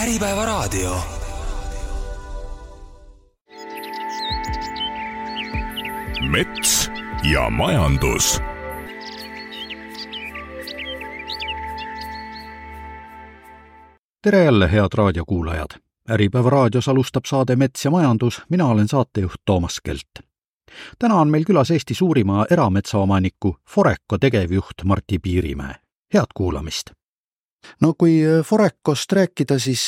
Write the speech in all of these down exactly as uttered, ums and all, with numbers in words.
Äripäevaraadio. Mets ja majandus. Tere jälle, head raadiokuulajad! Äripäeva raadios alustab saade Mets ja majandus, mina olen saatejuht Toomas Kelt. Täna on meil külas Eesti suurima erametsaomaniku Foreco tegevjuht Martti Piirimäe. Head kuulamist! No kui Forecost rääkida, siis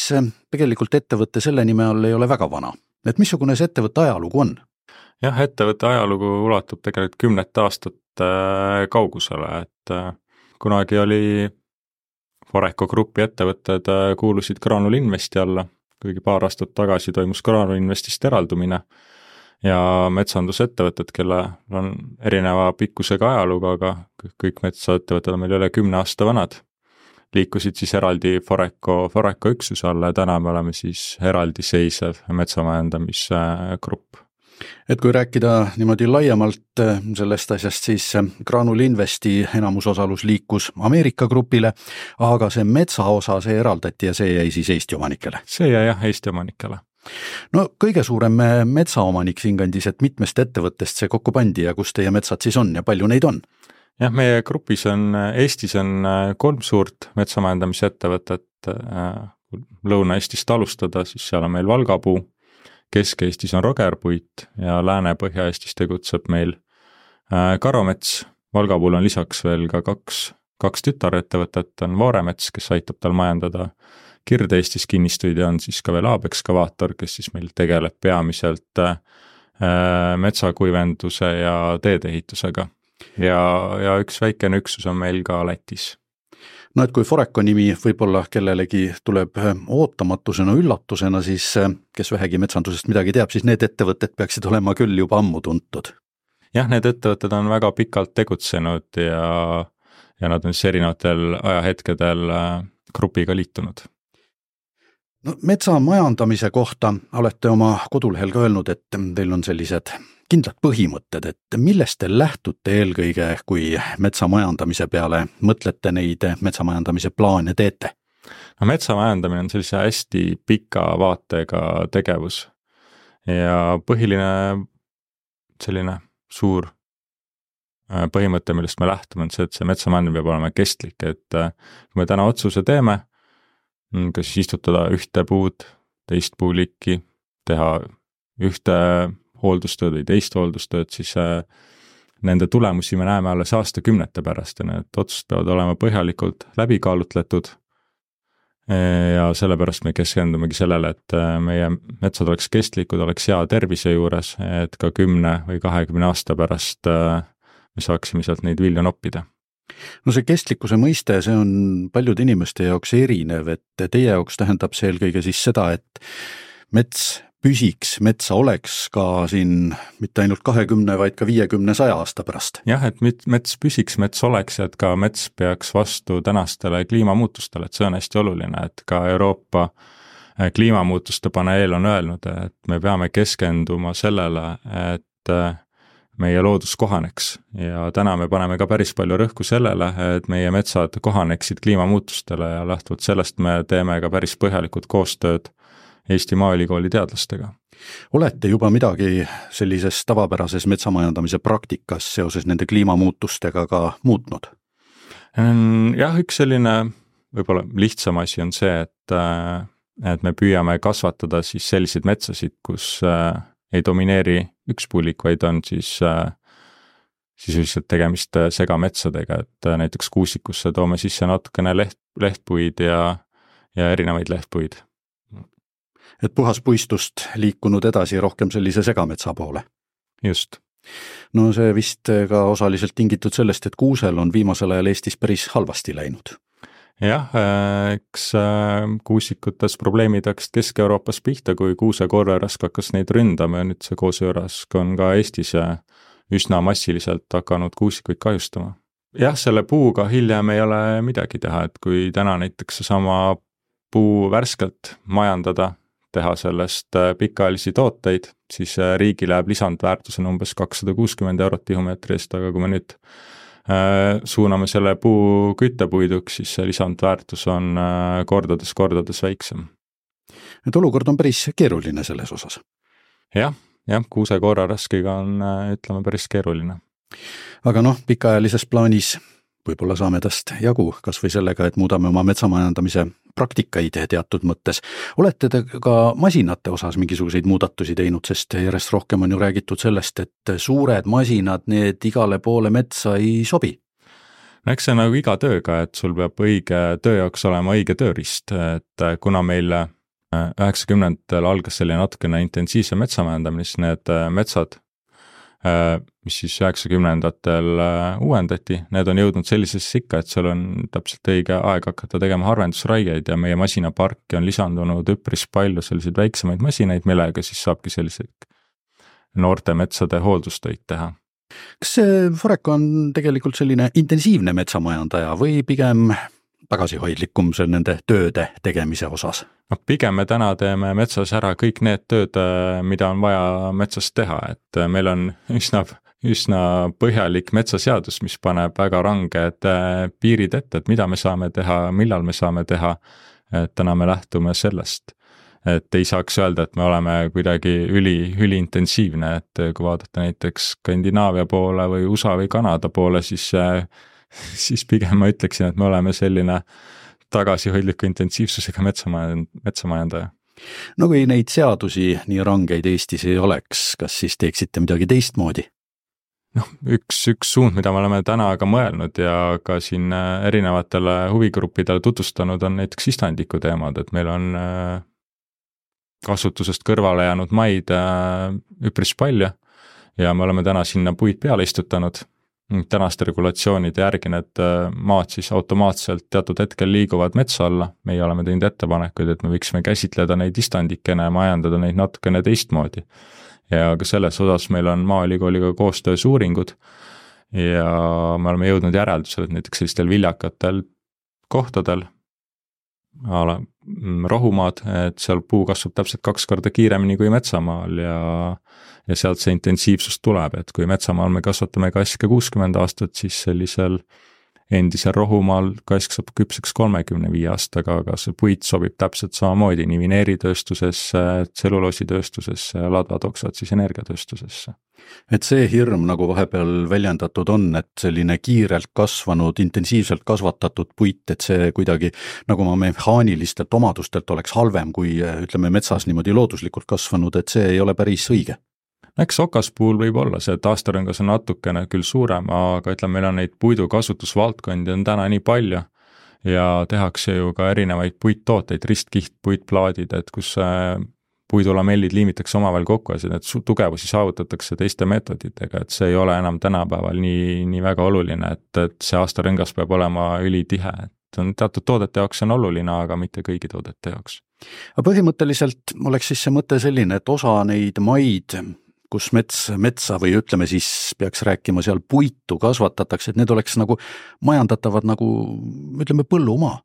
tegelikult ettevõtte selle nime all ei ole väga vana. Et missugune see ettevõtte ajalugu on? Jah, ettevõtte ajalugu ulatub tegelikult kümnet aastat kaugusele, et kunagi oli Foreco grupi ettevõtted kuulusid Graanul Investi alla, kuigi paar aastat tagasi toimus Graanul Investist eraldumine ja metsandusettevõtted, kelle on erineva pikkusega ajalugu, aga kõik metsaettevõtted on meil üle kümne aasta vanad, liikusid siis eraldi Foreco, Foreco üksuse alla ja täna me oleme siis eraldi seisev metsamajandamisgrupp. Et kui rääkida niimoodi laiemalt sellest asjast, siis Graanul Investi enamusosalus liikus Ameerika grupile, aga see metsaosa, see eraldati ja see jäi siis Eesti omanikele. See jäi jah Eesti omanikele. No kõige suurem metsaomanik siinkandis, et mitmest ettevõttest see kokku pandi ja kus teie metsad siis on ja palju neid on? Jah, meie grupis on, Eestis on kolm suurt metsamajandamise ettevõtet. Lõuna-Eestist alustada, siis seal on meil Valgapuu, Kesk-Eestis on Rogerpuit ja Lääne-Põhja-Eestis tegutseb meil Karomets. Valgapuul on lisaks veel ka kaks, kaks tütarettevõtet, on Vooremets, kes aitab tal majandada Kirde-Eestis kinnistuid ja on siis ka veel Aab-ekskavaator, kes siis meil tegeleb peamiselt metsakuivenduse ja teedeehitusega. Ja, ja üks väikene üksus on meil ka Lätis. No et kui Foreco nimi võib-olla kellelegi tuleb ootamatusena, üllatusena, siis kes vähegi metsandusest midagi teab, siis need ettevõtted peaksid olema küll juba ammu tuntud. Jah, need ettevõtted on väga pikalt tegutsenud ja, ja nad on siis erinevatel ajahetkedel grupiga liitunud. No, metsa majandamise kohta olete oma kodulehel ka öelnud, et teil on sellised kindlad põhimõtted, et millest te lähtute eelkõige, kui metsamajandamise peale mõtlete neid metsamajandamise plaane teete? No, metsamajandamine on sellise hästi pika vaatega tegevus ja põhiline selline suur põhimõte, millest me lähtume, on see, et see metsamajandamine peab olema kestlik, et kui me täna otsuse teeme, kas istutada ühte puud, teist puulikki, teha ühte hooldustööd või teist hooldustööd, siis nende tulemusi me näeme alles aastakümnete pärast ja need otsused peavad olema põhjalikult läbikaalutletud ja sellepärast me keskendumegi sellele, et meie metsad oleks kestlikud, oleks hea tervise juures, et ka kümne või kahekümne aasta pärast me saaksime sealt neid vilju noppida. No see kestlikkuse mõiste, see on paljude inimeste jaoks erinev, et teie jaoks tähendab see eelkõige siis seda, et mets püsiks, metsa oleks ka siin mitte ainult kahekümne, vaid ka viiekümne, saja aasta pärast. Jah, et mets püsiks, mets oleks ja et ka mets peaks vastu tänastele kliimamuutustele, et see on hästi oluline, et ka Euroopa kliimamuutuste paneel on öelnud, et me peame keskenduma sellele, et meie loodus kohaneks ja täna me paneme ka päris palju rõhku sellele, et meie metsad kohaneksid kliimamuutustele ja lähtuvalt sellest me teeme ka päris põhjalikud koostööd Eesti Maaülikooli teadlastega. Olete juba midagi sellises tavapärases metsamajandamise praktikas seoses nende kliimamuutustega ka muutnud? Jah, üks selline võib-olla lihtsam asi on see, et, et me püüame kasvatada siis selliseid metsasid, kus ei domineeri üks puulik, vaid on siis, siis lihtsalt tegemist segametsadega, et näiteks kuusikusse toome sisse natukene leht, lehtpuid ja, ja erinevaid lehtpuid. Et puhas puistust liikunud edasi rohkem sellise segametsa poole. Just. No see vist ka osaliselt tingitud sellest, et kuusel on viimasel ajal Eestis päris halvasti läinud. Jah, eks kuusikutes probleemid hakkasid Kesk-Euroopas pihta, kui kuusekorverask hakkas neid ründama ja nüüd see kuuserask on ka Eestis üsna massiliselt hakanud kuusikuid kahjustama. Jah, selle puuga hiljem ei ole midagi teha, et kui täna näiteks sama puu värskelt majandada, teha sellest pikaajalisi tooteid, siis riigi läheb lisandväärtusena umbes kakssada kuuskümmend eurot tihumeetri eest, aga kui me nüüd suuname selle puu küttepuiduks, siis see lisandväärtus on kordades, kordades väiksem. et olukord on päris keeruline selles osas. jah, jah, kuusekooraraskiga on, ütleme, päris keeruline. Aga noh, pikaajalises plaanis võib-olla saame tast jagu, kas või sellega, et muudame oma metsamajandamise praktikaid teatud mõttes. Olete te ka masinate osas mingisuguseid muudatusi teinud, sest järjest rohkem on ju räägitud sellest, et suured masinad, need igale poole metsa ei sobi? No eks see on nagu iga tööga, et sul peab õige töö jaoks olema õige tööriist, et kuna meil üheksakümnendatel algas selline natukene intensiivse metsamajandamine, siis need metsad, mis siis üheksakümnendatel uuendati, need on jõudnud sellisesse ikka, et seal on täpselt õige aeg hakata tegema harvendusraigeid ja meie masinaparki on lisandunud üpris palju selliseid väiksemaid masinaid, millega siis saabki selliseid noorte metsade hooldustöid teha. Kas see Foreco on tegelikult selline intensiivne metsamajandaja või pigem tagasihoidlikum seal nende tööde tegemise osas? No, pigem me täna teeme metsas ära kõik need tööd, mida on vaja metsas teha, et meil on üsna, üsna põhjalik metsaseadus, mis paneb väga ranged piirid ette, et mida me saame teha, millal me saame teha, et täna me lähtume sellest. Et ei saaks öelda, et me oleme kuidagi üli, üli intensiivne, et kui vaadata näiteks Skandinaavia poole või U S A või Kanada poole, siis, siis pigem ma ütleksin, et me oleme selline tagasihoidliku intensiivsusega metsamajandaja. No kui neid seadusi nii rangeid Eestis ei oleks, kas siis teeksite midagi teistmoodi? noh, üks, üks suund, mida me oleme täna ka mõelnud ja ka siin erinevatele huvigruppidele tutvustanud, on näiteks istandiku teemad, et meil on kasutusest kõrvale jäänud maid üpris palju ja me oleme täna sinna puid peale istutanud. Tänaste regulatsioonide järgi need maad siis automaatselt teatud hetkel liiguvad metsa alla. Meie oleme teinud ettepanekuid, et me võiksime käsitleda neid istandikene ja majandada neid natukene teistmoodi. Ja ka selles osas meil on Maaülikooliga koostöös uuringud ja me oleme jõudnud järeldusele, et näiteks sellistel viljakatel kohtadel ala, rohumaad, et seal puu kasvab täpselt kaks korda kiiremini kui metsamaal ja, ja sealt see intensiivsus tuleb, et kui metsamaal me kasvatame kaske kuuskümmend aastat, siis sellisel endisel rohumaal kask saab küpseks kolmekümne viie aastaga, aga see puit sobib täpselt samamoodi nii vineeritööstusesse, tselluloositööstusesse ja ladvatoksad siis energiatööstusesse. Et see hirm, nagu vahepeal väljendatud on, et selline kiirelt kasvanud, intensiivselt kasvatatud puit, et see kuidagi nagu ma mehaanilistelt omadustelt oleks halvem kui ütleme metsas niimoodi looduslikult kasvanud, et see ei ole päris õige. Eks okaspuul võib olla see, et aastarõngas on natukene küll suurem, aga ütleme, meil on neid puidu kasutusvaldkondi on täna nii palju ja tehakse ju ka erinevaid puittooteid, ristkiht, puitplaadid, et kus puidulamellid liimitakse omavahel kokku ja need tugevusi saavutatakse teiste meetoditega, et see ei ole enam tänapäeval nii, nii väga oluline, et, et see aastarõngas peab olema ülitihe, et on teatud toodete jaoks on oluline, aga mitte kõigi toodete jaoks. Aga põhimõtteliselt oleks siis see mõte selline, et osa neid maid kus mets, metsa või ütleme siis peaks rääkima seal puitu kasvatatakse, et need oleks nagu majandatavad nagu ütleme põllumaa,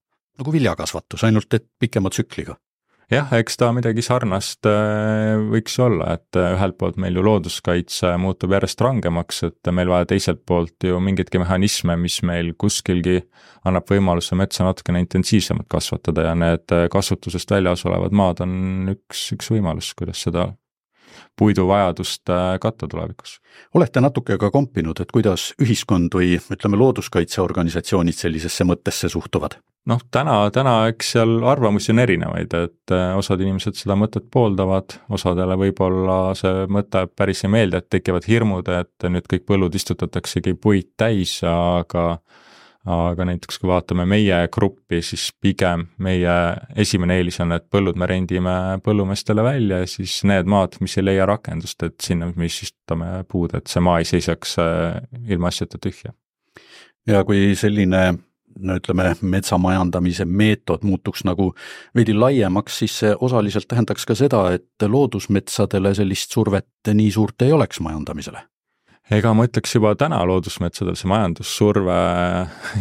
nagu viljakasvatus, ainult et pikema tsükliga. Jah, eks ta midagi sarnast võiks olla, et ühelt poolt meil ju looduskaitse muutub järjest rangemaks, et meil vaja teiselt poolt ju mingitki mehhanisme, mis meil kuskilgi annab võimaluse metsa natukene intensiivsemalt kasvatada ja need kasutusest väljas olevad maad on üks, üks võimalus, kuidas seda puidu vajadust katta tulevikus. Olete natuke ka kompinud, et kuidas ühiskond või ütleme looduskaitseorganisatsioonid sellisesse mõttesse suhtuvad? Noh, täna, täna eks seal arvamusi on erinevaid, et osad inimesed seda mõtet pooldavad, osadele võib-olla see mõte päris ei meeldi, et tekivad hirmud, et nüüd kõik põllud istutataksegi puid täis, aga aga näiteks kui vaatame meie gruppi, siis pigem meie esimene eelis on, et põllud me rendime põllumeestele välja ja siis need maad, mis ei leia rakendust, et sinna mis istutame puud, et see maa ei seisaks ilma asjata tühja. Ja kui selline, no ütleme, metsamajandamise meetod muutuks nagu veidi laiemaks, siis see osaliselt tähendaks ka seda, et loodusmetsadele sellist survet nii suurt ei oleks majandamisele. Ega ma ütleks juba täna loodusmetsadel see majandussurve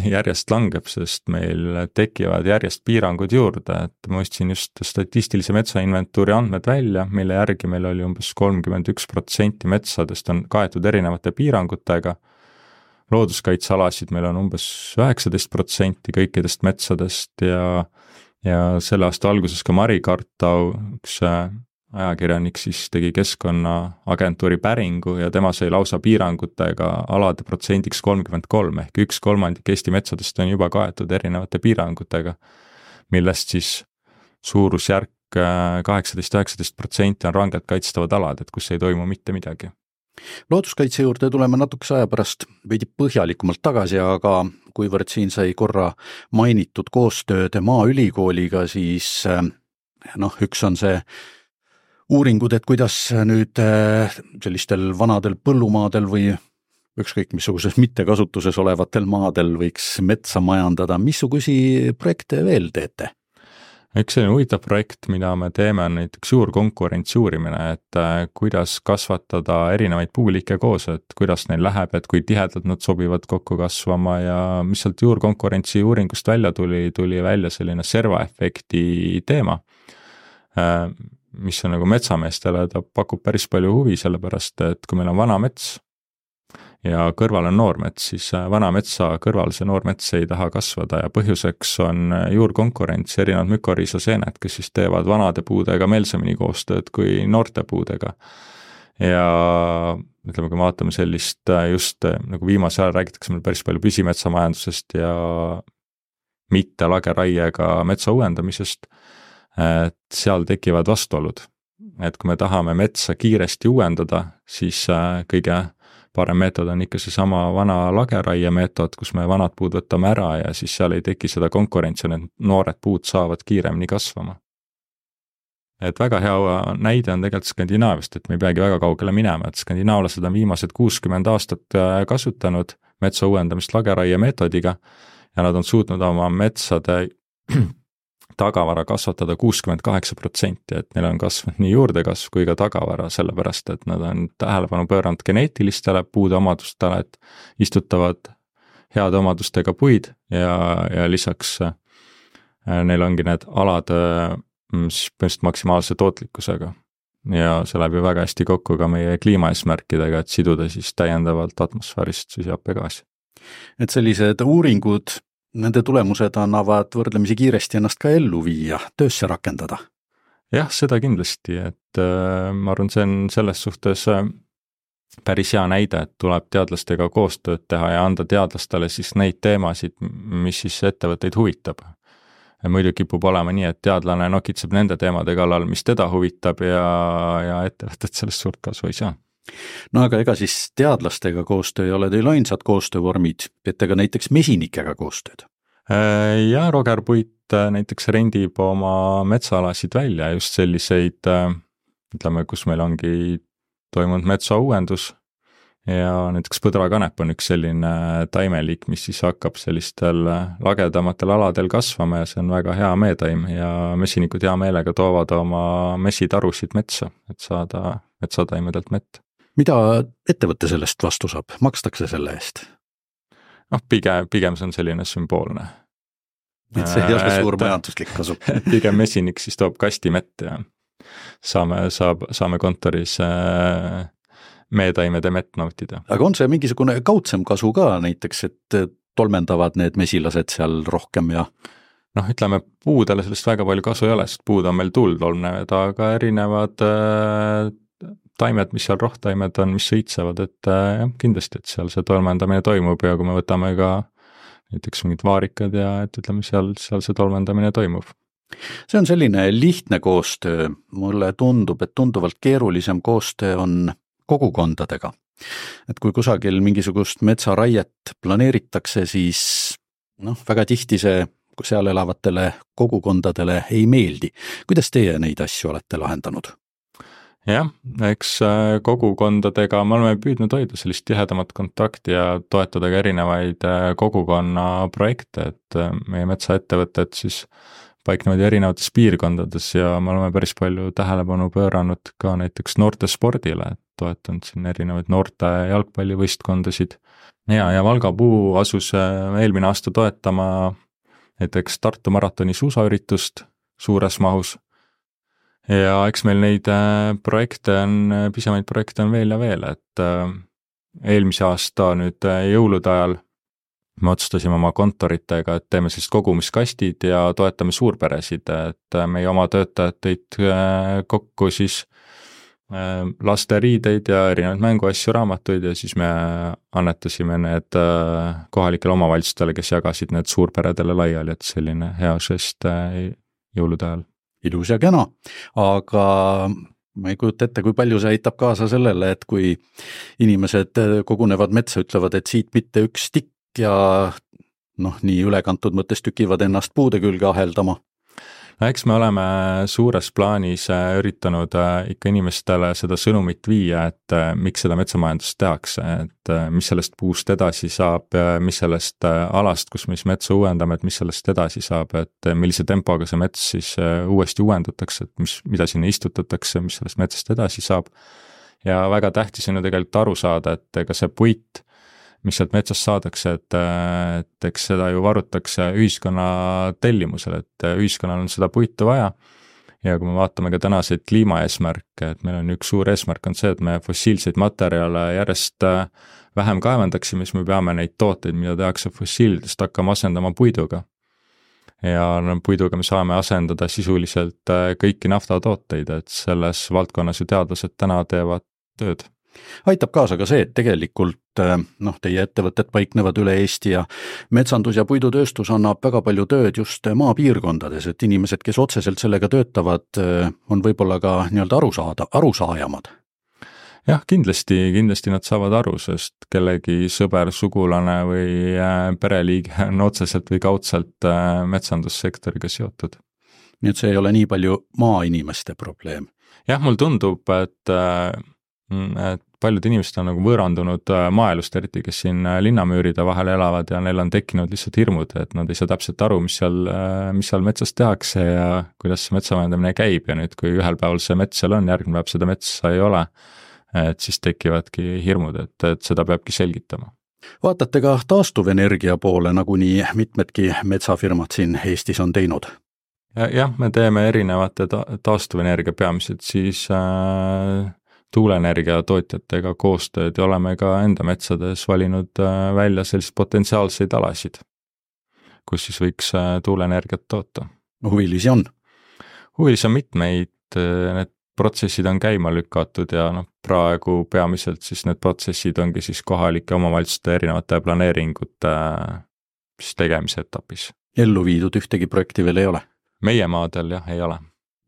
järjest langeb, sest meil tekivad järjest piirangud juurde, et ma ostsin just statistilise metsainventuuri andmed välja, mille järgi meil oli umbes kolmkümmend üks protsenti metsadest on kaetud erinevate piirangutega. Looduskaitsealasid meil on umbes üheksateist protsenti kõikidest metsadest ja ja selle aasta alguses ka Mari Kartau, üks ajakirjanik siis tegi Keskkonnaagentuuri päringu ja tema sai lausa piirangutega alade protsendiks kolmkümmend kolm ehk üks kolmandik Eesti metsadest on juba kaetud erinevate piirangutega, millest siis suurusjärk kaheksateist üheksateist protsenti on rangelt kaitstavad alad, et kus ei toimu mitte midagi. Looduskaitse juurde tuleme natukese aja pärast veidi põhjalikumalt tagasi, aga kuivõrd siin sai korra mainitud koostööd Maaülikooliga, siis noh, üks on see uuringud, et kuidas nüüd sellistel vanadel põllumaadel või ükskõik missuguses mittekasutuses olevatel maadel võiks metsa majandada. Missugusi projekte veel teete? Üks selline huvitav projekt, mida me teeme, on näiteks juurkonkurentsi uurimine, et kuidas kasvatada erinevaid puuliike koos, et kuidas neil läheb, et kui tihedalt nad sobivad kokku kasvama ja mis sealt juurkonkurentsi uuringust välja tuli, tuli välja selline servaefekti teema, mis on nagu metsameestele, ta pakub päris palju huvi, sellepärast et kui meil on vana mets ja kõrval on noormets, siis vana metsa kõrval see noormets ei taha kasvada ja põhjuseks on juurkonkurents, erinevad mükoriisaseened, kes siis teevad vanade puudega meelsemini koostööd kui noorte puudega. Ja ütleme, kui me vaatame sellist just nagu viimase ajal räägitakse meil päris palju püsimetsamajandusest ja mitte lageraiega metsa uuendamisest, et seal tekivad vastuolud. Et kui me tahame metsa kiiresti uuendada, siis kõige parem meetod on ikka see sama vana lageraie meetod, kus me vanad puud võtame ära ja siis seal ei teki seda konkurentsi, need noored puud saavad kiiremini kasvama. Et väga hea näide on tegelikult Skandinaaviast, et me ei peagi väga kaugele minema, et skandinaavlased on viimased kuuskümmend aastat kasutanud metsa uuendamist lageraie meetodiga ja nad on suutnud oma metsade tagavara kasvatada kuuskümmend kaheksa protsenti, et neil on kasvanud nii juurdekasv kui ka tagavara, sellepärast et nad on tähelepanu pööranud geneetilistele puude omadustele, et istutavad heade omadustega puid ja, ja lisaks neil ongi need alad põhimõtteliselt maksimaalse tootlikkusega. Ja see läheb ju väga hästi kokku ka meie kliimaeesmärkidega, et siduda siis täiendavalt atmosfäärist süsihappegaasi. Et sellised uuringud, nende tulemused annavad võrdlemisi kiiresti ennast ka ellu viia, töösse rakendada. Jah, seda kindlasti, et äh, ma arvan, see on selles suhtes äh, päris hea näide, et tuleb teadlastega koostööd teha ja anda teadlastele siis neid teemasid, mis siis ettevõtteid huvitab. Ja muidu kipub olema nii, et teadlane nokitseb nende teemade kallal, mis teda huvitab ja, ja ettevõtted sellest suurt kasu ei saa. No aga ega siis teadlastega koostöö ei ole teil ainsad koostöövormid, teete ka näiteks mesinikega koostööd? Ja Roger Puit näiteks rendib oma metsaalasid välja, just selliseid, ütleme, kus meil ongi toimunud metsauuendus ja näiteks põdrakanep on üks selline taimeliik, mis siis hakkab sellistel lagedamatel aladel kasvama ja see on väga hea meetaim ja mesinikud hea meelega toovad oma mesitarusid metsa, et saada metsataimedelt mett. Mida ettevõtte sellest vastu saab? Makstakse selle eest? noh, pigem, pigem see on selline sümboolne. Et see ei ole suur majanduslik kasu. Pigem mesinik siis toob kasti mett ja saame, saab, saame kontoris meetaimede mett nautida. Aga on see mingisugune kaudsem kasu ka näiteks, et tolmendavad need mesilased seal rohkem ja noh, ütleme, puudele sellest väga palju kasu ei ole, sest puud on meil tuultolmnevad, aga erinevad äh, taimed, mis seal rohtaimed on, mis sõitsevad, et äh, kindlasti, et seal see tolmendamine toimub ja kui me võtame ka näiteks mingid vaarikad ja et ütleme, seal, seal see tolmendamine toimub. See on selline lihtne koostöö, mulle tundub, et tunduvalt keerulisem koostöö on kogukondadega. Et kui kusagil mingisugust metsaraiet planeeritakse, siis noh, väga tihti see seal elavatele kogukondadele ei meeldi. Kuidas teie neid asju olete lahendanud? Jah, eks kogukondadega me oleme püüdnud hoida sellist tihedamat kontakti ja toetada ka erinevaid kogukonna projekte, et meie metsaettevõtted siis paiknevad erinevates piirkondades ja me oleme päris palju tähelepanu pööranud ka näiteks noorte spordile, et toetanud siin erinevaid noorte jalgpallivõistkondasid. Ja, ja Valga Puu asus eelmine aasta toetama näiteks Tartu maratoni suusaüritust suures mahus. Ja eks meil neid projekte on, pisemaid projekte on veel ja veel, et eelmise aasta nüüd jõulude ajal me otsustasime oma kontoritega, et teeme sellist kogumiskastid ja toetame suurperesid, et meie oma töötajad tõid kokku siis laste riideid ja erinevaid mänguasju, raamatuid ja siis me annetasime need kohalikele omavalitsustele, kes jagasid need suurperedele laiali, et selline hea žest jõulude ajal. Ilus ja kena, aga ma ei kujuta ette, kui palju see aitab kaasa sellele, et kui inimesed kogunevad metsa, ütlevad, et siit mitte üks tikk ja noh, nii ülekantud mõttes tükivad ennast puude külge aheldama. No eks me oleme suures plaanis üritanud ikka inimestele seda sõnumit viia, et miks seda metsamajandust tehakse, et mis sellest puust edasi saab, mis sellest alast, kus me siis metsa uuendame, et mis sellest edasi saab, et millise tempoga see mets siis uuesti uuendatakse, et mis, mida sinna istutatakse, mis sellest metsast edasi saab. Ja väga tähtis on ju tegelikult aru saada, et ega see puit, mis sealt metsast saadakse, et, et eks seda ju varutakse ühiskonna tellimusel, et ühiskonnal on seda puitu vaja ja kui me vaatame ka tänaseid kliimaeesmärke, et meil on üks suur eesmärk on see, et me fossiilseid materjale järjest vähem kaevandaksime, siis me peame neid tooteid, mida tehakse fossiilidest, hakkama asendama puiduga. Ja no, puiduga me saame asendada sisuliselt kõiki naftatooteid, et selles valdkonnas ju teadlased täna teevad tööd. Aitab kaasa ka see, et tegelikult noh, teie ettevõtted paiknevad üle Eesti ja metsandus ja puidutööstus annab väga palju tööd just maapiirkondades, et inimesed, kes otseselt sellega töötavad, on võib-olla ka nii-öelda arusaada, arusaajamad. Jah, kindlasti, kindlasti nad saavad aru, sest kellegi sõber, sugulane või pereliige on otseselt või kaudselt metsandussektoriga seotud. Nii et see ei ole nii palju maainimeste probleem. Jah, mul tundub, et et paljud inimesed on nagu võõrandunud maaelust, eriti kes siin linnamüüride vahel elavad ja neil on tekkinud lihtsalt hirmud, et nad ei saa täpselt aru, mis seal, mis seal metsas tehakse ja kuidas see metsamajandamine käib ja nüüd, kui ühel päeval see mets seal on, järgmine päev seda metsa ei ole, et siis tekivadki hirmud, et, et seda peabki selgitama. Vaatate ka taastuvenergia poole, nagu nii mitmedki metsafirmad siin Eestis on teinud? Ja, jah, me teeme erinevate ta- taastuvenergia peamiselt siis äh, tuuleenergia tootjatega koostööd ja oleme ka enda metsades valinud välja sellised potentsiaalseid alasid, kus siis võiks tuuleenergiat toota. Huvilisi on? Huvilisi on mitmeid, need protsessid on käima lükatud ja noh, praegu peamiselt siis need protsessid ongi siis kohalike omavalitsuste erinevate planeeringute siis tegemise etapis. Ellu viidud ühtegi projekti veel ei ole? Meie maadel jah, ei ole.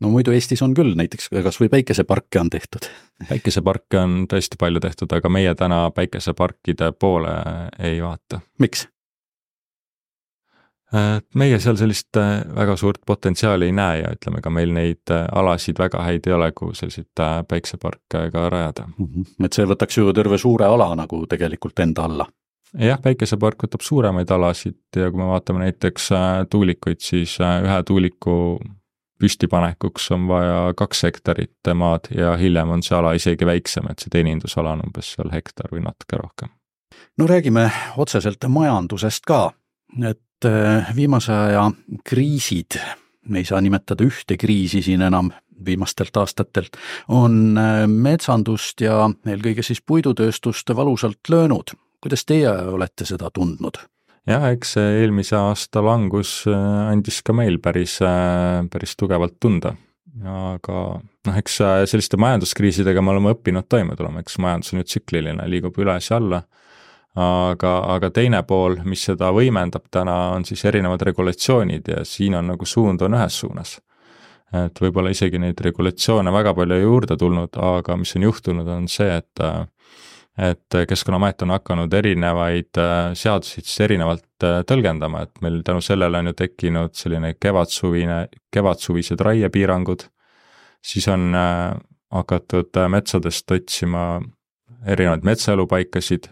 No muidu Eestis on küll, näiteks kas või päikeseparke on tehtud? Päikeseparke on tõesti palju tehtud, aga meie täna päikeseparkide poole ei vaata. Miks? Meie seal sellist väga suurt potentsiaali ei näe ja ütleme ka meil neid alasid väga häid ei ole, kuhu selliseid päikeseparke ka rajada. Mm-hmm. Et see võtaks ju terve suure ala nagu tegelikult enda alla. Jah, päikesepark võtab suuremaid alasid ja kui me vaatame näiteks tuulikuid, siis ühe tuuliku püstipanekuks on vaja kaks hektarit maad ja hiljem on see ala isegi väiksem, et see teenindusala on umbes seal hektar või natuke rohkem. No räägime otseselt majandusest ka, et viimase aja kriisid, me ei saa nimetada ühte kriisi siin enam viimastelt aastatelt, on metsandust ja eelkõige siis puidutööstust valusalt löönud. Kuidas teie olete seda tundnud? Jah, eks eelmise aasta langus andis ka meil päris, päris tugevalt tunda, aga noh, eks selliste majanduskriisidega me oleme õppinud toime tulema, eks majandus on nüüd tsükliline, liigub üles ja alla, aga, aga teine pool, mis seda võimendab täna, on siis erinevad regulatsioonid ja siin on nagu suund on ühes suunas. Et võib-olla isegi neid regulatsioone väga palju juurde tulnud, aga mis on juhtunud, on see, et et Keskkonnaamet on hakanud erinevaid seadusid erinevalt tõlgendama, et meil tänu sellele on ju tekkinud selline kevadsuvine, kevadsuvised raiepiirangud, siis on hakatud metsadest otsima erinevaid metsaelupaikasid,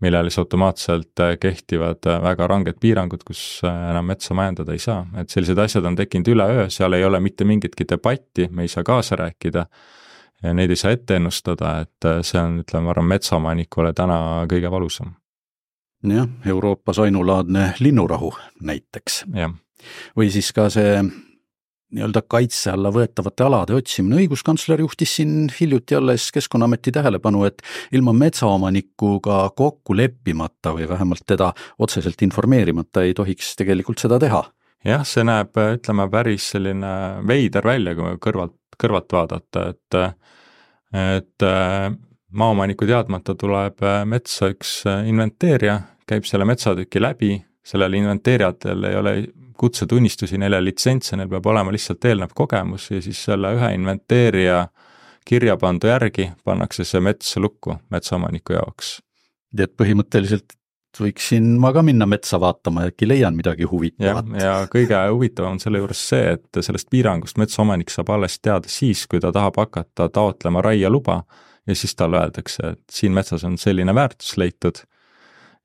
millele siis automaatselt kehtivad väga ranged piirangud, kus enam metsa majandada ei saa, et sellised asjad on tekkinud üleöö, seal ei ole mitte mingitki debatti, me ei saa kaasa rääkida, ja neid ei saa ette ennustada, et see on, ütleme, ma arvan, metsaomanikule täna kõige valusam. Jah, Euroopas ainulaadne linnurahu näiteks. Ja. Või siis ka see nii-öelda kaitse alla võetavate alade otsimine. Õiguskantsler juhtis siin hiljuti alles Keskkonnaameti tähelepanu, et ilma metsaomanikuga kokku leppimata või vähemalt teda otseselt informeerimata ei tohiks tegelikult seda teha. Jah, see näeb, ütleme, päris selline veider välja, kui kõrvalt, kõrvalt vaadata, et, et maaomaniku teadmata tuleb metsa üks inventeerija, käib selle metsatüki läbi, sellel inventeerijatel ei ole kutsetunnistusi, neile litsentse, neil peab olema lihtsalt eelnev kogemus ja siis selle ühe inventeerija kirjapandu järgi pannakse see mets lukku metsaomaniku jaoks. Et põhimõtteliselt võiksin ma ka minna metsa vaatama ja äkki leian midagi huvitavat. Ja, ja kõige huvitavam on selle juures see, et sellest piirangust metsaomanik saab alles teada siis, kui ta tahab hakata taotlema raia luba ja siis talle öeldakse, et siin metsas on selline väärtus leitud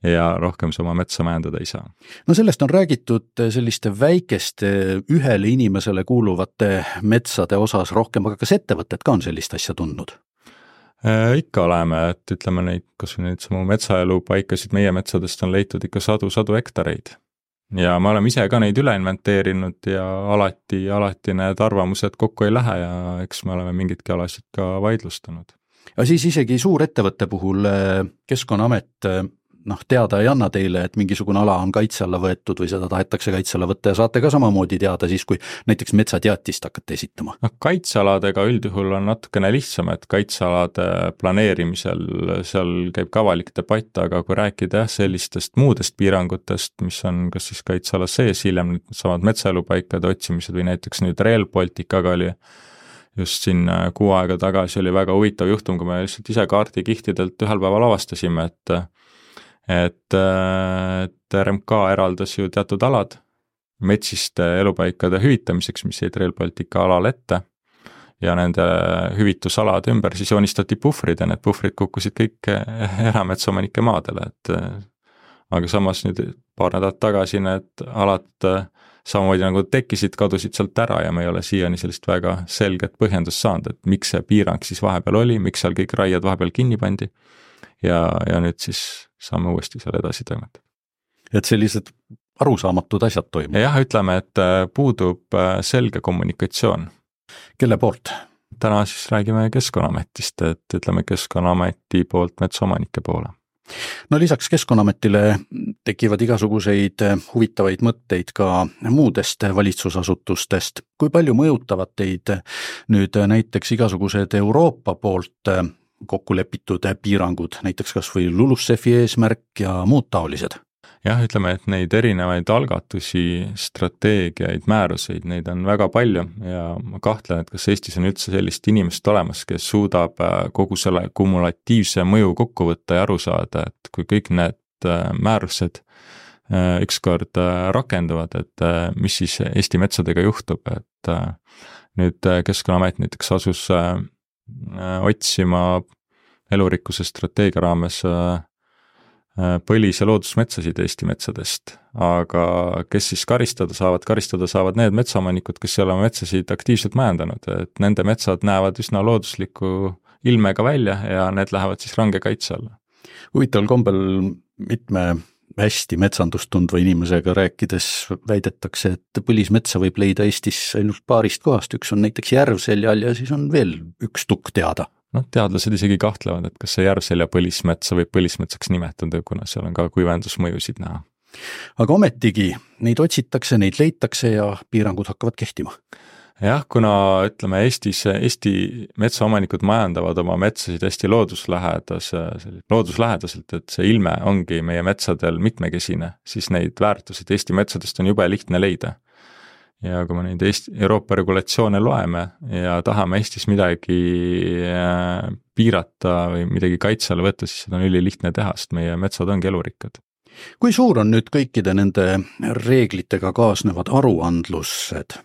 ja rohkem see oma metsa majandada ei saa. No sellest on räägitud selliste väikeste ühele inimesele kuuluvate metsade osas rohkem, aga kas ettevõtted ka on sellist asja tundnud? E, ikka oleme, et ütleme neid, kas või neid samu metsaelu paikasid meie metsadest on leitud ikka sadu, sadu hektareid. Ja me oleme ise ka neid üle inventeerinud ja alati, alati need arvamused kokku ei lähe ja eks me oleme mingitki alasid ka vaidlustanud. Ja siis isegi suur ettevõtte puhul Keskkonnaamet noh, teada ei anna teile, et mingisugune ala on kaitse alla võetud või seda tahetakse kaitse alla võtta ja saate ka samamoodi teada siis, kui näiteks metsateatist hakkate esitama. No, kaitsealadega üldjuhul on natukene lihtsam, et kaitsealade planeerimisel seal käib ka avalik debatt, aga kui rääkida sellistest muudest piirangutest, mis on kas siis kaitseala sees, hiljem samad metsaelupaikade otsimised või näiteks nüüd Rail Balticaga oli just siin kuu aega tagasi oli väga huvitav juhtum, kui me lihtsalt ise kaardikihtidelt ühel päeval avastasime, et et, et R M K eraldas ju teatud alad metsiste elupaikade hüvitamiseks, mis jäid Rail Baltica alal ette ja nende hüvitusalade ümber siis joonistati puhvrid ja need puhvrid kukkusid kõik erametsaomanike maadele, et aga samas nüüd paar nädalat tagasi need alad samamoodi nagu tekkisid, kadusid sealt ära ja me ei ole siiani sellist väga selget põhjendust saanud, et miks see piirang siis vahepeal oli, miks seal kõik raied vahepeal kinni pandi ja, ja nüüd siis saame uuesti seal edasi toimetada. Et sellised arusaamatud asjad toimuvad? Jah, ütleme, et puudub selge kommunikatsioon. Kelle poolt? Täna siis räägime Keskkonnaametist, et ütleme Keskkonnaameti poolt metsaomanike poole. No lisaks Keskkonnaametile tekivad igasuguseid huvitavaid mõtteid ka muudest valitsusasutustest. Kui palju mõjutavad teid nüüd näiteks igasugused Euroopa poolt kokku lepitud piirangud, näiteks kas või LULUCF-i eesmärk ja muud taolised? Jah, ütleme, et neid erinevaid algatusi, strateegiaid, määruseid, neid on väga palju ja ma kahtlen, et kas Eestis on üldse sellist inimest olemas, kes suudab kogu selle kumulatiivse mõju kokku võtta ja aru saada, et kui kõik need määrused ükskord rakenduvad, et mis siis Eesti metsadega juhtub, et nüüd Keskkonnaamet näiteks asus otsima elurikkuse strateegia raames põlis- ja loodusmetsasid Eesti metsadest, aga kes siis karistada saavad, karistada saavad need metsaomanikud, kes ei ole metsasid aktiivselt majandanud, et nende metsad näevad üsna loodusliku ilmega välja ja need lähevad siis range kaitse alla. Huvitaval kombel mitme hästi metsandust tundva inimesega rääkides väidetakse, et põlismetsa võib leida Eestis ainult paarist kohast, üks on näiteks Järvseljal ja siis on veel üks tukk teada. No, teadlased isegi kahtlevad, et kas see Järvselja põlismetsa võib põlismetsaks nimetada, kuna seal on ka kuivendusmõjusid näha. Aga ometigi neid otsitakse, neid leitakse ja piirangud hakkavad kehtima. Jah, kuna ütleme Eestis, Eesti metsaomanikud majandavad oma metsasid hästi looduslähedas, looduslähedaselt, et see ilme ongi meie metsadel mitmekesine, siis neid väärtusid Eesti metsadest on jube lihtne leida. Ja kui me neid Eesti, Euroopa regulatsioone loeme ja tahame Eestis midagi piirata või midagi kaitse alla võtta, siis seda on ülilihtne teha, sest meie metsad ongi elurikkad. Kui suur on nüüd kõikide nende reeglitega kaasnevad aruandlused?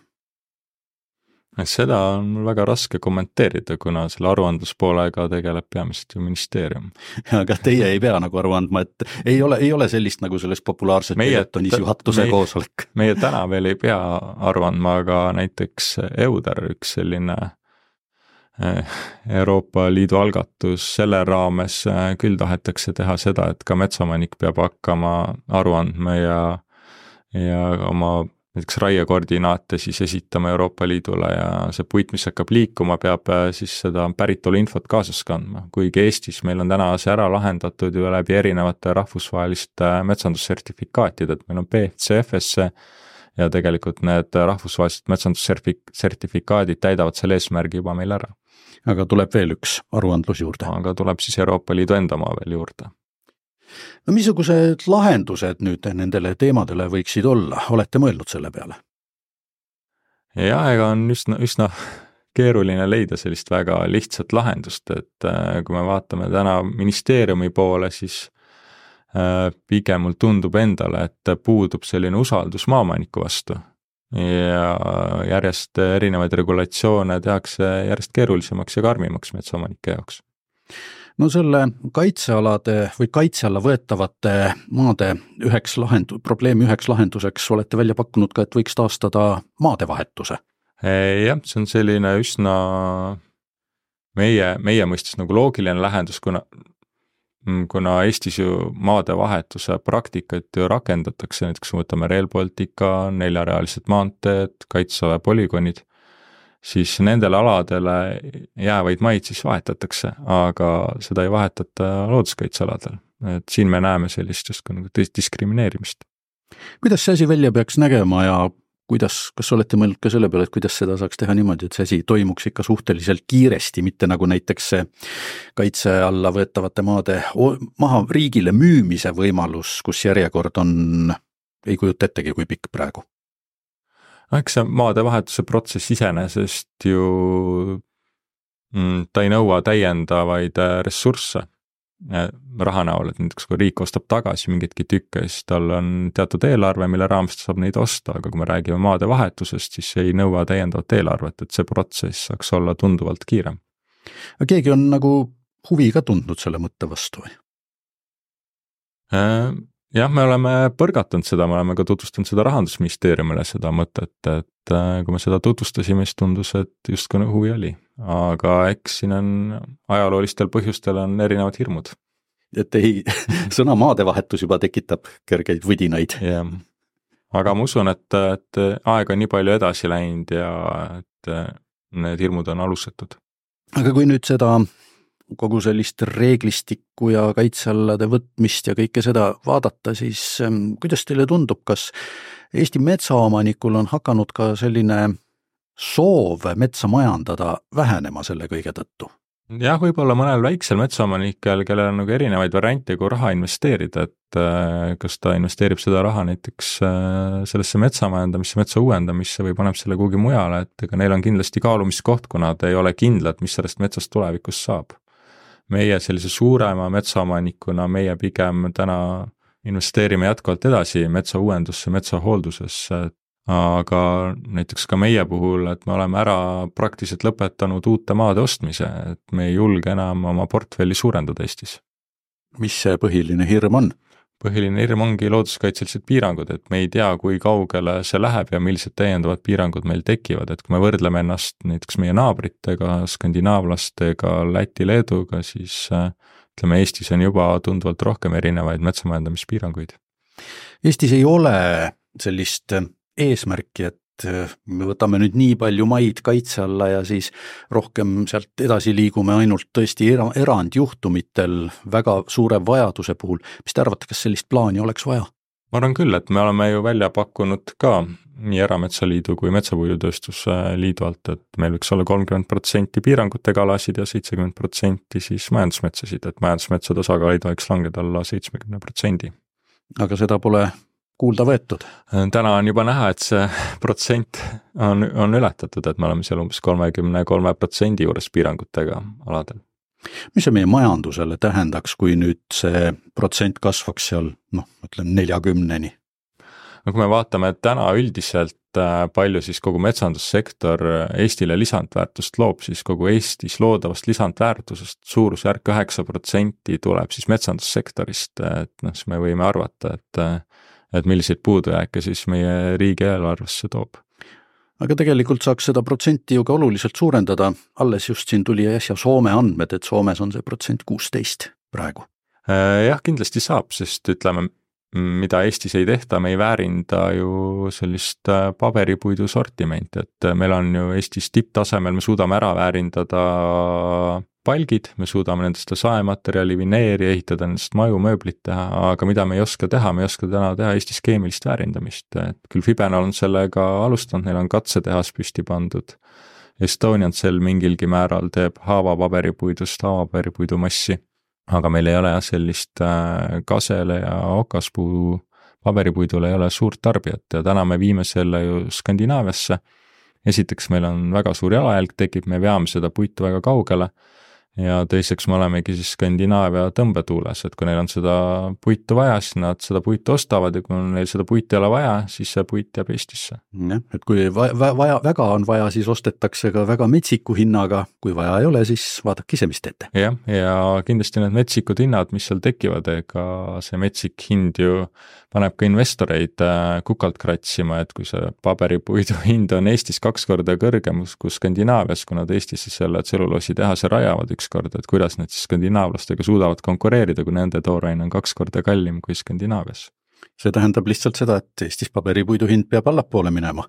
Seda on mul väga raske kommenteerida, kuna selle aruandluspoolega tegeleb peamiselt ju ministeerium. Aga teie ei pea nagu aru andma, et ei ole, ei ole sellist nagu sellest populaarset teletonis juhatuse koosolek. Meie täna veel ei pea aru andma, aga näiteks EUDER, üks selline Euroopa Liidu algatus, selle raames küll tahetakse teha seda, et ka metsaomanik peab hakkama aru andma ja, ja oma näiteks raiekoordinaate siis esitama Euroopa Liidule ja see puit, mis hakkab liikuma, peab siis seda päritolu infot kaasas kandma. Kuigi Eestis meil on täna see ära lahendatud ju läbi erinevate rahvusvaheliste metsandussertifikaatid, et meil on B F C F S ja tegelikult need rahvusvahelised metsandussertifikaadid täidavad selle eesmärgi juba meil ära. Aga tuleb veel üks aruandlus juurde. Aga tuleb siis Euroopa Liidu enda maa veel juurde. No missugused lahendused nüüd nendele teemadele võiksid olla? Olete mõelnud selle peale? Ja, ega on üsna, üsna keeruline leida sellist väga lihtsat lahendust, et kui me vaatame täna ministeeriumi poole, siis pigem mul tundub endale, et puudub selline usaldus maaomaniku vastu ja järjest erinevaid regulatsioone tehakse järjest keerulisemaks ja karmimaks metsaomanike jaoks. No selle kaitsealade või kaitse alla võetavate maade üheks lahendu, probleemi üheks lahenduseks olete välja pakkunud ka, et võiks taastada maadevahetuse. Jah, see on selline üsna meie, meie mõistes nagu loogiline lahendus, kuna kuna Eestis ju maadevahetuse praktikat ju rakendatakse, näiteks võtame Rail Baltica, neljarealised maanteed, kaitseala polügonid, siis nendele aladele jäävaid maid siis vahetatakse, aga seda ei vahetata looduskaitsealadel. Et siin me näeme sellist just nagu diskrimineerimist. Kuidas see asi välja peaks nägema ja kuidas, kas olete mõelnud ka selle peale, et kuidas seda saaks teha niimoodi, et see asi toimuks ikka suhteliselt kiiresti, mitte nagu näiteks see kaitse alla võetavate maade maha riigile müümise võimalus, kus järjekord on, ei kujuta ettegi, kui pikk praegu? Eks see maadevahetuse protsess iseenesest ju ta ei nõua täiendavaid ressursse raha näol, et näiteks kui riik ostab tagasi mingitki tükke, siis tal on teatud eelarve, mille raames ta saab neid osta, aga kui me räägime maadevahetusest, siis ei nõua täiendavat eelarvet, et see protsess saaks olla tunduvalt kiirem. Aga keegi on nagu huvi ka tundnud selle mõtte vastu või? Jah, me oleme põrgatanud seda, me oleme ka tutvustanud seda Rahandusministeeriumile seda mõtet, et kui me seda tutvustasime, siis tundus, et just kui huvi oli. Aga eks siin on ajaloolistel põhjustel on erinevad hirmud. Et ei, sõna maadevahetus juba tekitab kergeid võdinaid. Ja. Aga ma usun, et, et aeg on nii palju edasi läinud ja et need hirmud on alusetud. Aga kui nüüd seda kogu sellist reeglistikku ja kaitsealade võtmist ja kõike seda vaadata, siis kuidas teile tundub, kas Eesti metsaomanikul on hakanud ka selline soov metsa majandada vähenema selle kõige tõttu? Jah, võib-olla mõnel väiksel metsaomanikel, kellel on nagu erinevaid variante, kui raha investeerida, et kas ta investeerib seda raha näiteks sellesse metsamajandamisse, metsa uuendamisse või paneb selle kuhugi mujale, et ega neil on kindlasti kaalumiskoht, kuna ta ei ole kindlad, mis sellest metsast tulevikus saab. Meie sellise suurema metsaomanikuna meie pigem täna investeerime jätkuvalt edasi metsa uuendusse, metsa hooldusesse, aga näiteks ka meie puhul, et me oleme ära praktiliselt lõpetanud uute maade ostmise, et me ei julge enam oma portfelli suurendada Eestis. Mis see põhiline hirm on? Põhiline hirm ongi looduskaitselised piirangud, et me ei tea, kui kaugele see läheb ja millised täiendavad piirangud meil tekivad, et kui me võrdleme ennast näiteks meie naabritega, skandinaavlastega, Läti, Leeduga, siis ütleme, Eestis on juba tunduvalt rohkem erinevaid metsamajandamispiiranguid. Eestis ei ole sellist eesmärki, et me võtame nüüd nii palju maid kaitse alla ja siis rohkem sealt edasi liigume ainult tõesti erandjuhtumitel väga suure vajaduse puhul. Mis te arvate, kas sellist plaani oleks vaja? Ma arvan küll, et me oleme ju välja pakkunud ka nii Erametsaliidu kui Metsapuidutööstuse liidu alt, et meil võiks olla kolmkümmend protsenti piirangutega alasid ja seitsekümmend protsenti siis majandusmetsasid, et majandusmetsade osakaal võiks langeda alla seitsekümmend protsenti. Aga seda pole kuulda võetud? Täna on juba näha, et see protsent on, on ületatud, et me oleme seal umbes kolmekümne kolme protsendi juures piirangutega aladel. Mis see meie majandusele tähendaks, kui nüüd see protsent kasvaks seal, noh, mõtlen neljakümneni? No kui me vaatame, et täna üldiselt palju siis kogu metsandussektor Eestile lisandväärtust loob, siis kogu Eestis loodavast lisandväärtusest suurusjärk üheksa protsenti tuleb siis metsandussektorist, et noh, siis me võime arvata, et et milliseid puudujääke siis meie riigieelarvesse toob. Aga tegelikult saaks seda protsenti ju ka oluliselt suurendada, alles just siin tuli äsja Soome andmed, et Soomes on see protsent kuusteist praegu. Jah, kindlasti saab, sest ütleme, mida Eestis ei tehta, me ei väärinda ju sellist paberipuidu sortimenti, et meil on ju Eestis tipptasemel, me suudame ära väärindada palgid, me suudame nendest saematerjali, vineeri ehitada, nendest maju, mööblit teha, aga mida me ei oska teha, me ei oska täna teha Eestis keemilist väärindamist, et küll Fibenol on sellega alustanud, neil on katsetehas püsti pandud. Estonian Cell mingilgi määral teeb haavapaberipuidust haavapaberipuidu massi, aga meil ei ole jah sellist kasele ja okaspuu paberipuidule ei ole suurt tarbijat ja täna me viime selle ju Skandinaaviasse. Esiteks meil on väga suur jalajälg tekib, me veame seda puitu väga kaugele ja teiseks me olemegi siis Skandinaavia tõmbetuules, et kui neil on seda puitu vaja, siis nad seda puitu ostavad ja kui neil seda puitu ei ole vaja, siis see puit jääb Eestisse. Ja, et kui vaja, väga on vaja, siis ostetakse ka väga metsiku hinnaga, kui vaja ei ole, siis vaadake ise, mis teete. Ja, ja kindlasti need metsikud hinnad, mis seal tekivad, ega see metsik hind ju paneb ka investoreid kukalt kratsima, et kui see paberipuidu hind on Eestis kaks korda kõrgem kui Skandinaavias, kui nad Eestisse selle tselluloosi tehase rajavad üks kord, et kuidas need siis skandinaavlastega suudavad konkureerida, kui nende toorain on kaks korda kallim kui Skandinaavias. See tähendab lihtsalt seda, et Eestis paberipuidu hind peab allapoole minema.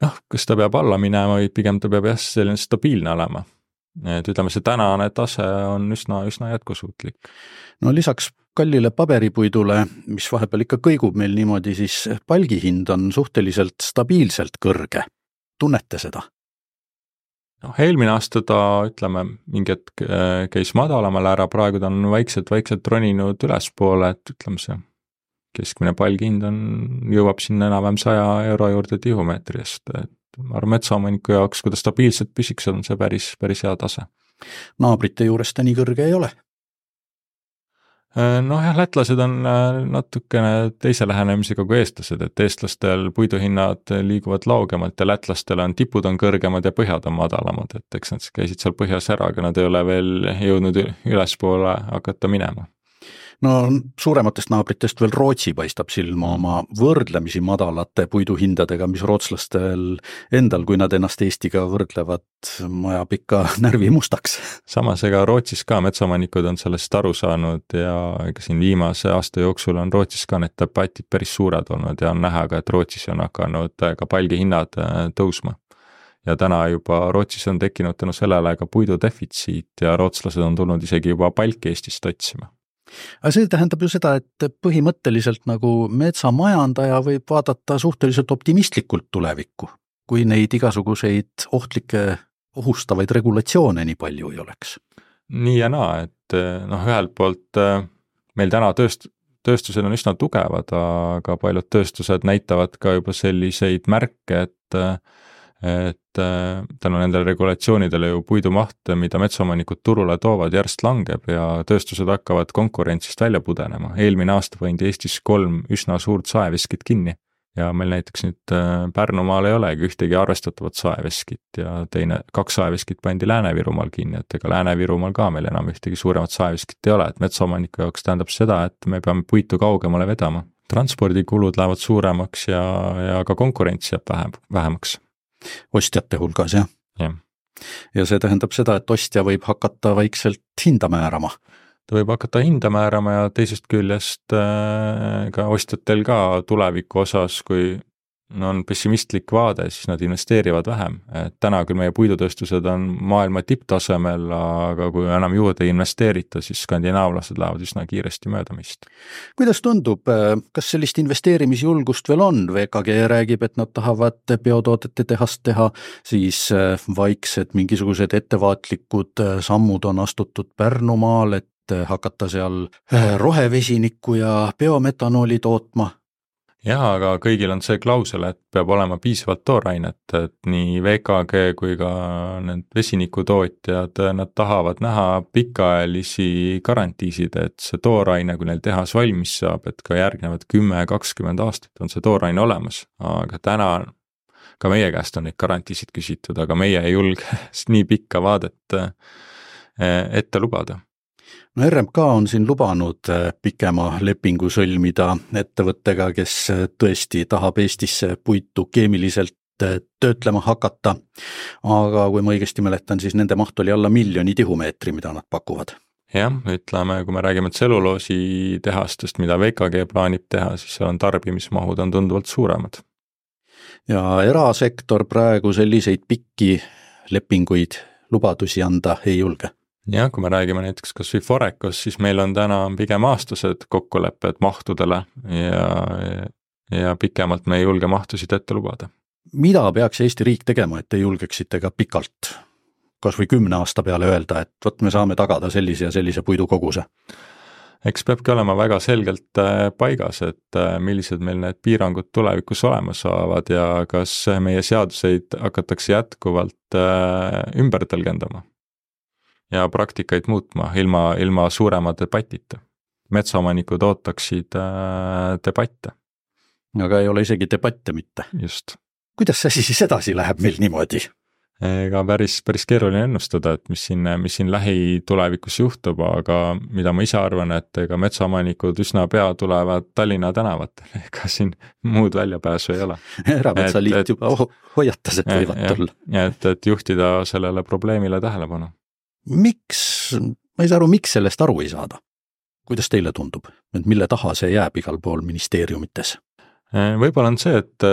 Noh, kas ta peab alla minema või pigem ta peab jah selline stabiilne olema. Et ütleme, see tänane tase on üsna, üsna jätkusuutlik. No lisaks kallile paberipuidule, mis vahepeal ikka kõigub meil niimoodi, siis palgihind on suhteliselt stabiilselt kõrge. Tunnete seda? noh, eelmine aasta ta, ütleme, mingi hetk käis madalamal ära, praegu ta on vaikselt, vaikselt roninud ülespoole, et ütleme see keskmine palgihind on, jõuab sinna enam-vähem saja euro juurde tihumeetri eest, et ma arvan, metsaomaniku jaoks, kui ta stabiilselt püsiks, on see päris, päris hea tase. Naabrite juures ta nii kõrge ei ole? Noh jah, lätlased on natukene teise lähenemisega kui eestlased, et eestlastel puiduhinnad liiguvad laugemalt ja lätlastel on tipud on kõrgemad ja põhjad on madalamad, et eks nad käisid seal põhjas ära, aga nad ei ole veel jõudnud ülespoole hakata minema. No suurematest naabritest veel Rootsi paistab silma oma võrdlemisi madalate puiduhindadega, mis rootslastel endal, kui nad ennast Eestiga võrdlevad, majab ikka närvi mustaks. Samas ega Rootsis ka metsaomanikud on sellest aru saanud ja ega siin viimase aasta jooksul on Rootsis ka need debatid päris suured olnud ja on näha ka, et Rootsis on hakanud ka palgihinnad tõusma. Ja täna juba Rootsis on tekkinud tänu sellele ka puidu defitsiit ja rootslased on tulnud isegi juba palki Eestist otsima. Aga see tähendab ju seda, et põhimõtteliselt nagu metsamajandaja võib vaadata suhteliselt optimistlikult tulevikku, kui neid igasuguseid ohtlikke, ohustavaid regulatsioone nii palju ei oleks. Nii ja naa, et noh, ühelt poolt meil täna tööst, tööstused on üsna tugevad, aga paljud tööstused näitavad ka juba selliseid märke, et et tänu nendele regulatsioonidele ju puidumaht, mida metsaomanikud turule toovad, järjest langeb ja tööstused hakkavad konkurentsist välja pudenema. Eelmine aasta pandi Eestis kolm üsna suurt saeveskit kinni ja meil näiteks nüüd Pärnumaal ei olegi ühtegi arvestatavat saeveskit ja teine, kaks saeveskit pandi Lääne-Virumaal kinni, et ega Lääne-Virumaal ka meil enam ühtegi suuremat saeveskit ei ole, et metsaomaniku jaoks tähendab seda, et me peame puitu kaugemale vedama. Transpordikulud lähevad suuremaks ja, ja ka konkurents jääb vähem, vähemaks. Ostjate hulgas, jah? Ja. ja see tähendab seda, et ostja võib hakata vaikselt hinda määrama. Ta võib hakata hinda määrama ja teisest küljest äh, ka ostjatel ka tuleviku osas, kui on pessimistlik vaade, siis nad investeerivad vähem. Et täna küll meie puidutööstused on maailma tipptasemel, aga kui enam juurde investeerita, siis skandinaavlased lähevad üsna kiiresti möödamist. Kuidas tundub, kas sellist investeerimisjulgust veel on? V K G räägib, et nad tahavad biotoodete tehast teha, siis vaiksed mingisugused ettevaatlikud sammud on astutud Pärnumaal, et hakata seal rohevesinikku ja biometanooli tootma. Jah, aga kõigil on see klausel, et peab olema piisavalt toorainet, et nii V K G kui ka need vesinikutootjad, nad tahavad näha pikaajalisi garantiisid, et see tooraine, kui neil tehas valmis saab, et ka järgnevad kümme kakskümmend aastat on see tooraine olemas, aga täna ka meie käest on neid garantiisid küsitud, aga meie ei julge nii pikka vaadet ette lubada. No R M K on siin lubanud pikema lepingu sõlmida ettevõttega, kes tõesti tahab Eestisse puitu keemiliselt töötlema hakata, aga kui ma õigesti mäletan, siis nende maht oli alla miljoni tihumeetri, mida nad pakuvad. jah, ütleme, kui me räägime tselluloositehastest, mida V K G plaanib teha, siis seal on tarbimismahud on tunduvalt suuremad. Ja erasektor praegu selliseid pikki lepinguid, lubadusi anda ei julge. jah, kui me räägime näiteks kas või Forecos, siis meil on täna pigem aastased kokkulepped mahtudele ja, ja pikemalt me ei julge mahtusid ette lubada. Mida peaks Eesti riik tegema, et te julgeksite ka pikalt, kas või kümne aasta peale öelda, et võt me saame tagada sellise ja sellise puidukoguse? Eks peabki olema väga selgelt paigas, et millised meil need piirangud tulevikus olema saavad ja kas meie seaduseid hakatakse jätkuvalt ümber tõlgendama ja praktikaid muutma ilma, ilma suurema debatita. Metsaomanikud ootaksid debatte. Aga ei ole isegi debatte mitte. Just. Kuidas see siis edasi läheb meil niimoodi? Ega päris, päris keeruline ennustada, et mis siin, mis siin lähitulevikus juhtub, aga mida ma ise arvan, et ega metsaomanikud üsna pea tulevad Tallinna tänavatel, ega siin muud väljapääsu ei ole. Erametsaliit juba hoiatas, et võivad tulla. Ja et, et juhtida sellele probleemile tähelepanu. Miks, ma ei saa aru, miks sellest aru ei saada? Kuidas teile tundub, et mille taha see jääb igal pool ministeeriumites? Võib-olla on see, et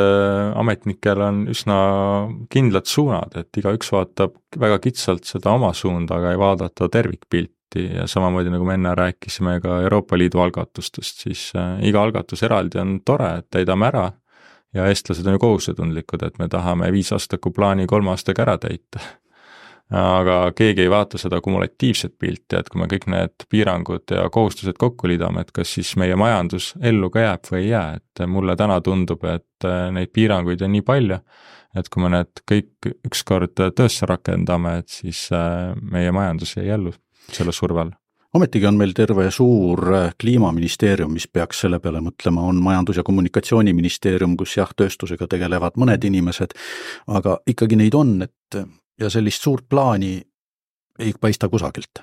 ametnikel on üsna kindlad suunad, et iga üks vaatab väga kitsalt seda oma suunda, aga ei vaadata tervikpilti ja samamoodi nagu me enne rääkisime ka Euroopa Liidu algatustest, siis iga algatus eraldi on tore, et täidame ära ja eestlased on ju kohusetundlikud, et me tahame viisaastaku plaani kolme aastaga ära täita. Aga keegi ei vaata seda kumulatiivset pilti, et kui me kõik need piirangud ja kohustused kokku liidame, et kas siis meie majandus ellu ka jääb või ei jää, et mulle täna tundub, et neid piiranguid on nii palju, et kui me need kõik ükskord töösse rakendame, et siis meie majandus ei ellu selle surve all. Ometigi on meil terve suur kliimaministeerium, mis peaks selle peale mõtlema, on majandus- ja kommunikatsiooniministeerium, kus jah, tööstusega tegelevad mõned inimesed, aga ikkagi neid on, et ja sellist suurt plaani ei paista kusagilt.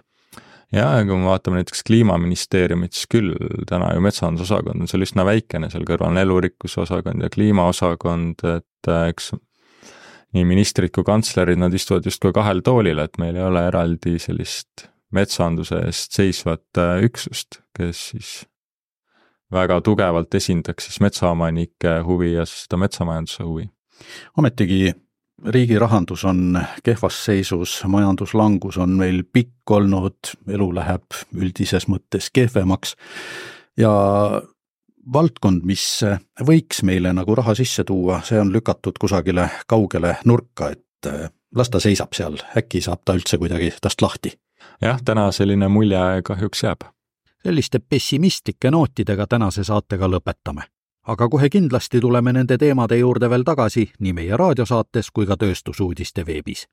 Ja, kui me vaatame näiteks kliimaministeeriumit, siis küll täna ju metsandusosakond on seal üsna väikene, seal kõrval on elurikkuse osakond ja kliimaosakond, et eks nii ministrid kui kantslerid, nad istuvad just kui kahel toolil, et meil ei ole eraldi sellist metsanduse eest seisvat üksust, kes siis väga tugevalt esindaks siis metsaomanike huvi ja seda metsamajanduse huvi. Ometigi riigi rahandus on kehvas seisus, majanduslangus on meil pikk olnud, elu läheb üldises mõttes kehvemaks ja valdkond, mis võiks meile nagu raha sisse tuua, see on lükatud kusagile kaugele nurka, et las ta seisab seal, äkki saab ta üldse kuidagi tast lahti. Jah, täna selline mulje kahjuks jääb. Selliste pessimistlike nootidega tänase saatega lõpetame. Aga kohe kindlasti tuleme nende teemade juurde veel tagasi nii meie raadiosaates kui ka tööstusuudiste veebis.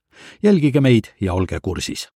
Jälgige meid ja olge kursis.